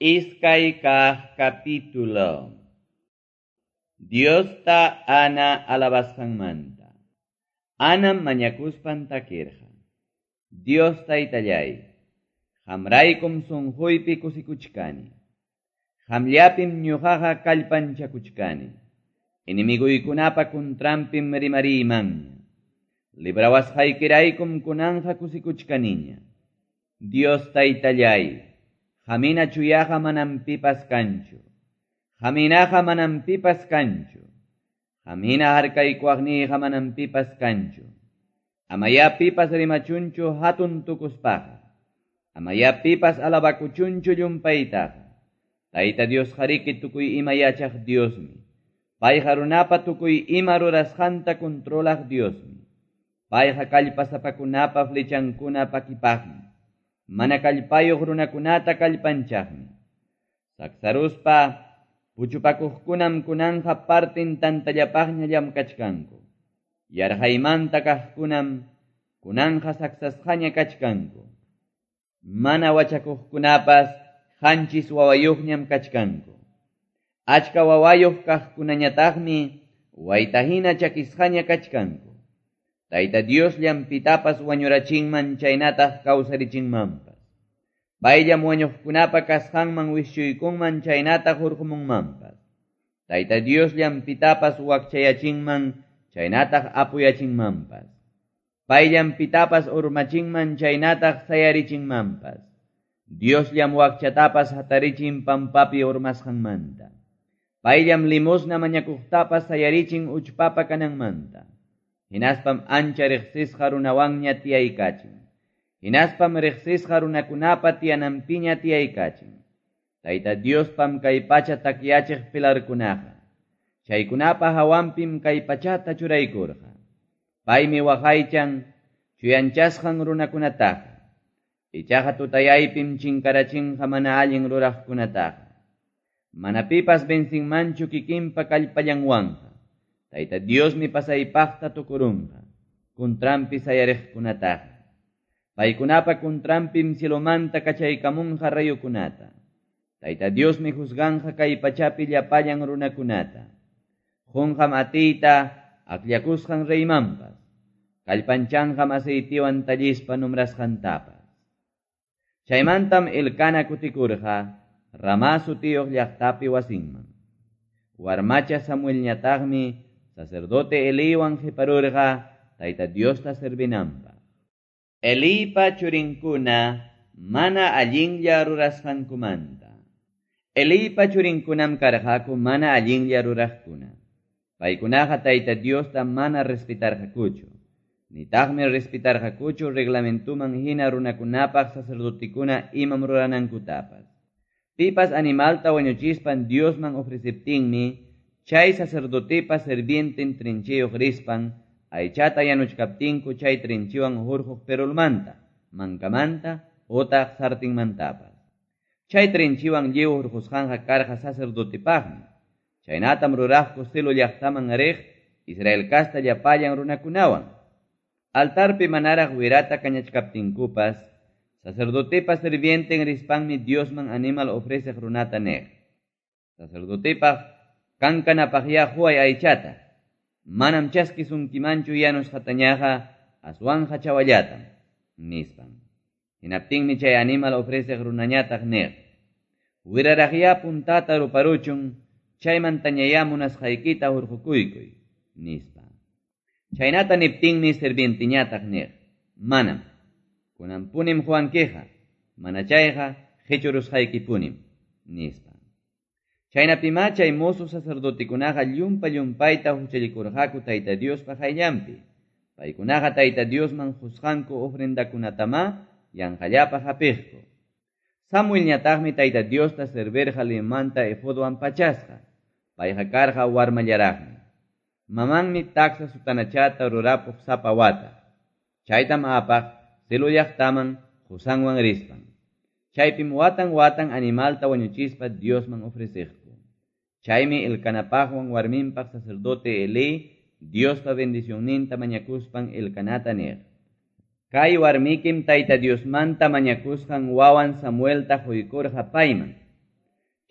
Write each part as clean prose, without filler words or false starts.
Iskay kaq capítulo. Diosta Ana alabasqanmanta. Anam mañakuspan takirqa. Dios taytallay, qamraykum sunquypi kusikuchkani. Qamllapim ñuqaqa kallpanchakuchkani. Enemiguykunapa kuntranpim rimariymanña. Librawasqaykiraykum kunanqa kusikuchkaniña. Dios taytallay, qamhina chuyaqa manam pipas kanchu. Qamhinaqa manam pipas kanchu. Qamhina harkaykuwaqniyqa manam pipas kanchu. Amaya pipas rimachunchu hatun tukuspaqa. Amaya pipas alabakuchunchu llumpaytaqa. Tayta Dios qariki tukuy ima yachaq Diosmi. Payqa runapa tukuy ima rurasqanta controlaq Diosmi. Payqa kallpasapakunapa flechankuna pakipaqmi. Mana kallpayuq runakunata kallpanchaqmi. Saksaruspa puchupakuqkunam kunanqa partin tantallapaqña llamkachkanku. Yarqaymanta kaqkunam kunanqa saksasqaña kachkanku. Mana wachakuqkunapas qanchis wawayuqñam kachkanku. Achka wawayuq kaqkunañataqmi waytahina chakisqaña kachkanku. Tayta Diosllam pitapas wañurachinman chaynataq kawsarichinmanpas. Payllam wañuqkunapa kasqanman wischuykunman chaynataq hurqumunmanpas. Tayta Diosllam pitapas wakchayachinman chaynataq apuyachinmanpas. Payllam pitapas urmachinman chaynataq sayarichinmanpas. Diosllam wakchatapas hatarichin pampapi urmasqanmanta. Payllam limosna mañakuqtapas sayarichin uchpapa kananmanta. Hinaspam ancha riqsisqa runawanña tiyaykachin. Hinaspam riqsisqa runakunapa tiyananpiña tiyaykachin. Tayta Diospam kay pacha takyachiq pilarkunaqa. Chaykunapa hawanpim kay pachata churaykurqa. Paymi waqaychan chuyanchasqan runakunataqa. Ichaqa tutayaypim chinkarachinqa mana allin ruraqkunataqa. Mana pipas vencinmanchu kikinpa kallpallanwanqa. Tayta Diosmi pasaypaqta tukurunqa, kuntranpi sayariqkunataqa. Paykunapa kuntranpim cielomanta kachaykamunqa rayukunata. Tayta Diosmi juzganqa kay pachapi llapallan runakunata. Qunqam atiyta akllakusqan reymanpas. Kallpanchanqam aceitiwan tallispa nombrasqantapas. Chaymantam Elcana kutikurqa Ramá sutiyuq llaqtapi wasinman. Warmacha Samuelñataqmi sacerdote Eliwan qiparurqa Tayta Diosta servinanpaq. Elipa churinkuna mana allinlla rurasqankumanta. Elipa churinkunam karqaku mana allinlla ruraqkuna. Paykunaqa Tayta Diosta mana respetarqakuchu. Nitaqmi respetarqakuchu reglamentuman hina runakunapaq sacerdotikuna imam ruranankutapas. Pipas animalta wañuchispan Diosman ofreceptinmi, chay sacerdotepa servienten trinchiyuq rispan, aychata yanuchkaptinku chay trinchiwan hurquq perulmanta, mankamanta, otaq sartinmantapas. Chay trinchiwan lliw hurqusqanqa karqa sacerdotepaqmi. Chaynatam ruraqku Silo llaqtaman riq Israel kasta llapallan runakunawan. Altarpi manaraq wirata kañachkaptinkupas, sacerdotepa servienten rispanmi Diosman animal ofreceq runata niq. Sacerdotepaq kankanapaqya huay aychata. Manam chaskisunkimanchu yanusqatañaqa aswanja chawallatam, nispan. Hinaptinmi chay animal ofreceq runañataq niq. Wiraraqya puntata ruparuchun, chaymantañaya munasqaykita hurqukuykuy, nispa. Chaynata niptinmi servienteñataq niq. Manam. Kunanpunim huwankiqa, mana chayqa qichurusqaykipunim, nispa. Chaynapimá chay mozo sacerdotikunaqa llumpa llumpayta huchallikurqaku Tayta Diospa qayllanpi. Paykunaqa Tayta Diosman qusqanku ofrendakunatamá yanqallapaq hapiqku. Samuelñataqmi Tayta Diosta servirqa limanta efodwan pachasqa. Payqa karqa warmallaraqmi. Mamanmi taksa sutanachata rurapuq sapa wata. Chaytam apaq Silo llaqtaman qusanwan rispan. Chaypim watan watan animalta wañuchispa Diosman ofreciqku. Chaymi Elcanapaqwan warminpaq sacerdote Elí Diospa bendicionninta mañakuspan Elcanata niq. Kay warmikim Tayta Diosmanta mañakusqan wawan Samuelta quykurqa payman.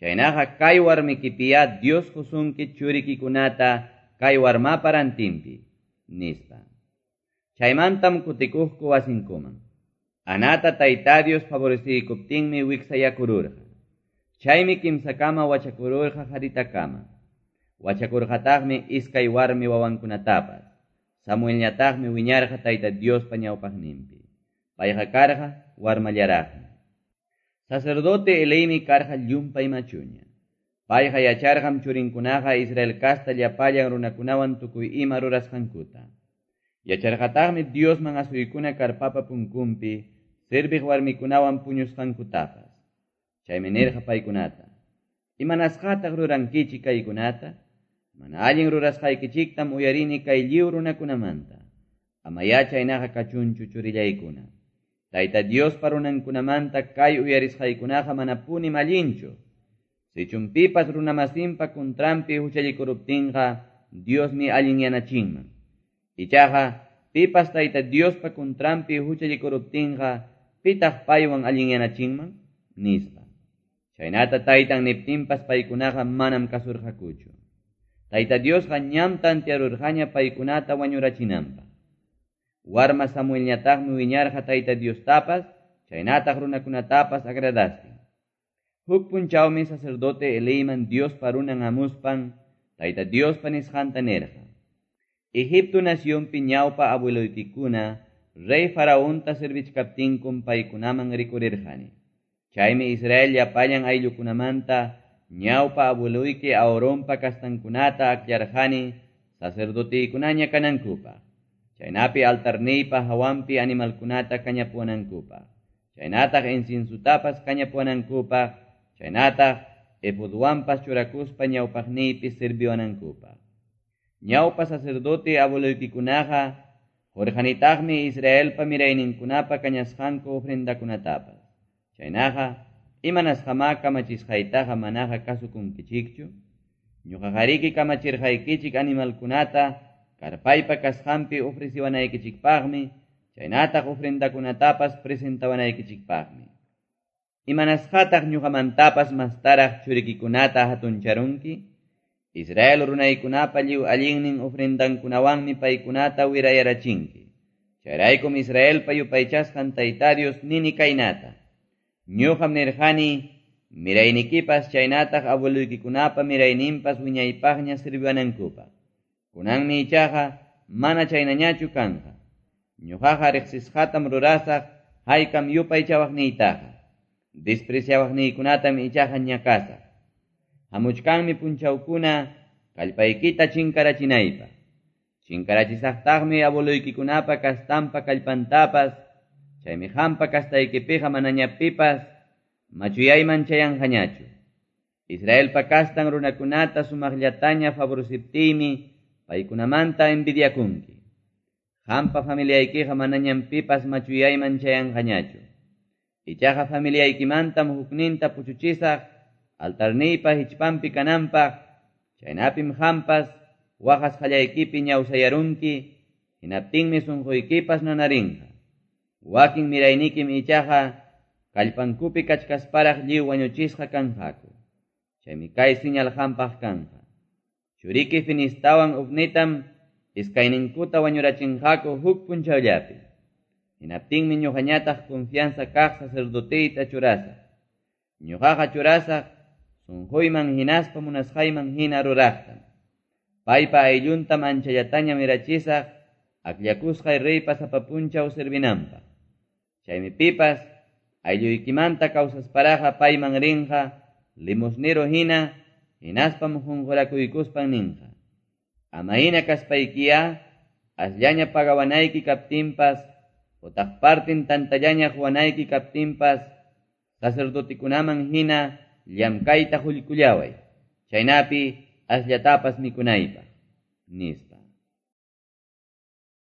Chaynaqa kay warmikipiya Dios qusunki churikikunata kay warmapa rantinpi, nispa. Chaymantam kutikuqku wasinkuman. Anata Tayta Dios favoreciykuptinmi wiksayakururqa. Chaymi kimsakama wachakururqa qaritakama. Wachakurqataqmi iskay warmi wawankunatapas. Samuelñataqmi wiñarqa Tayta Diospa ñawpaqninpi. Payqa karqa warmallaraqmi. Sacerdote Elimi karqa llumpay machuña. Payqa yacharqam churinkunaqa Israel kasta llapallan runakunawan tukuy ima rurasqankuta. Yacharqataqmi Diosman asuykuna karpapa punkunpi serviq warmikunawan puñusqankutapas. Chaymi nirqa paykunata: Imanasqataq rurankichik kaykunata? Mana allin rurasqaykichiktam uyarini kay lliw runakunamanta. Ama chaynaqa kachunchu churillaykuna. Tayta Diospa runankunamanta kay uyarisqaykunaqa manapunim allinchu. Sichum pipas runamasinpa kuntranpi huchallikuruptinqa Diosmi allinyanachinman. Ichaqa pipas Tayta Diospa kuntranpi huchallikuruptinqa pitaq paywan allinyanachinman, nispa. Chaynata taytan niptinpas paykunaqa manam kasurqakuchu. Tayta Diosqa ñam tantearurqaña paykunata wañurachinanpaq. Warma Samuelñataqmi wiñarqa Tayta Diostapas, chaynataq runakunatapas agradastin. Huk punchawmi sacerdote Eliman Diospa runan hamuspan, Tayta Diospa nisqanta nirqa: Egipto nacionpi ñawpa abueloykikuna rey Faraonta servichkaptinkum paykunaman rikurirqani. Chaymi Israel llapallan ayllukunamanta ñawpa abueloyki Aaronpa kastankunata akllarqani sacerdoteykunaña kanankupaq. Chaynapi altarniypa hawanpi animalkunata kañapuwanankupaq. Chaynataq inciensutapas kañapuwanankupaq, chaynataq efodwanpas churakuspa ñawpaqniypi sirviwanankupaq. Ñawpa sacerdote abueloykikunaqa qurqanitaqmi Israelpa mirayninkunapa kañasqanku ofrendakunatapas. Chaynaqa imanasqamá kamachisqaytaqa manaqa kasukunkichikchu? Ñuqaqariki kamachirqaykichik animalkunata karpaypa kasqanpi ofreciwanaykichikpaqmi, chaynataq ofrendakunatapas presentawanaykichikpaqmi. Imanasqataq ñuqamantapas mastaraq churikikunata hatuncharunki? Israel runaykunapa lliw allinnin ofrendankunawanmi paykunata wirayarachinki. Chayraykum Israelpa yupaychasqan Tayta Dios nini kaynata: Ñuqam nirqani miraynikipas chaynataq abueluykikunapa mirayninpas wiñaypaqña sirviwanankupaq. Kunanmi ichaqa mana chaynañachu kanqa. Ñuqaqa riqsisqatam rurasaq haykam yupaychawaqniytaqa. Despreciawaqniykunatam ichaqa ñakasaq. Hamuchkanmi punchawkuna kallpaykita chinkarachinaypaq. Chinkarachisaqtaqmi abueluykikunapa kastanpa kallpantapas, chaymi qampa kastaykipiqa manaña pipas machuyayman chayanqañachu. Israelpa kastan runakunata sumaqllataña favoreciptiymi paykunamanta envidiakunki. Qampa familiaykiqa manañam pipas machuyayman chayanqañachu. Ichaqa familiaykimantam hukninta puchuchisaq altarniypa hichpanpi kananpaq, chaynapim qampas waqasqallaykipi ñawsayarunki, hinaptinmi sunquykipas nanarinqa. Wakin miraynikim ichaqa kallpankupi kachkasparaq lliw wañuchisqa kanqaku. Chaymi kay señal qampaq kanqa. Churiki Finistawan Ofnitam iskayninkuta wañurachinqaku huk punchawllapi. Hinaptinmi ñuqañataq confianza kaq sacerdoteyta churasaq. Ñuqaqa churasaq sunquyman hinaspa munasqayman hina ruraqtam. Paypa aylluntam anchallataña mirachisaq akllakusqay reypa sapa punchaw servinanpaq. Chaymi pipas aylluykimanta kawsasparaqa payman rinqa limosnero hina hinaspam qunqurakuykuspan ninqa: Ama hina kaspaykiya asllaña pagawanayki kaptinpas utaq partin tantallaña quwanayki kaptinpas sacerdotikunaman hina llamkayta qullkullaway, chaynapi asllatapas mikunaypaq, nispa.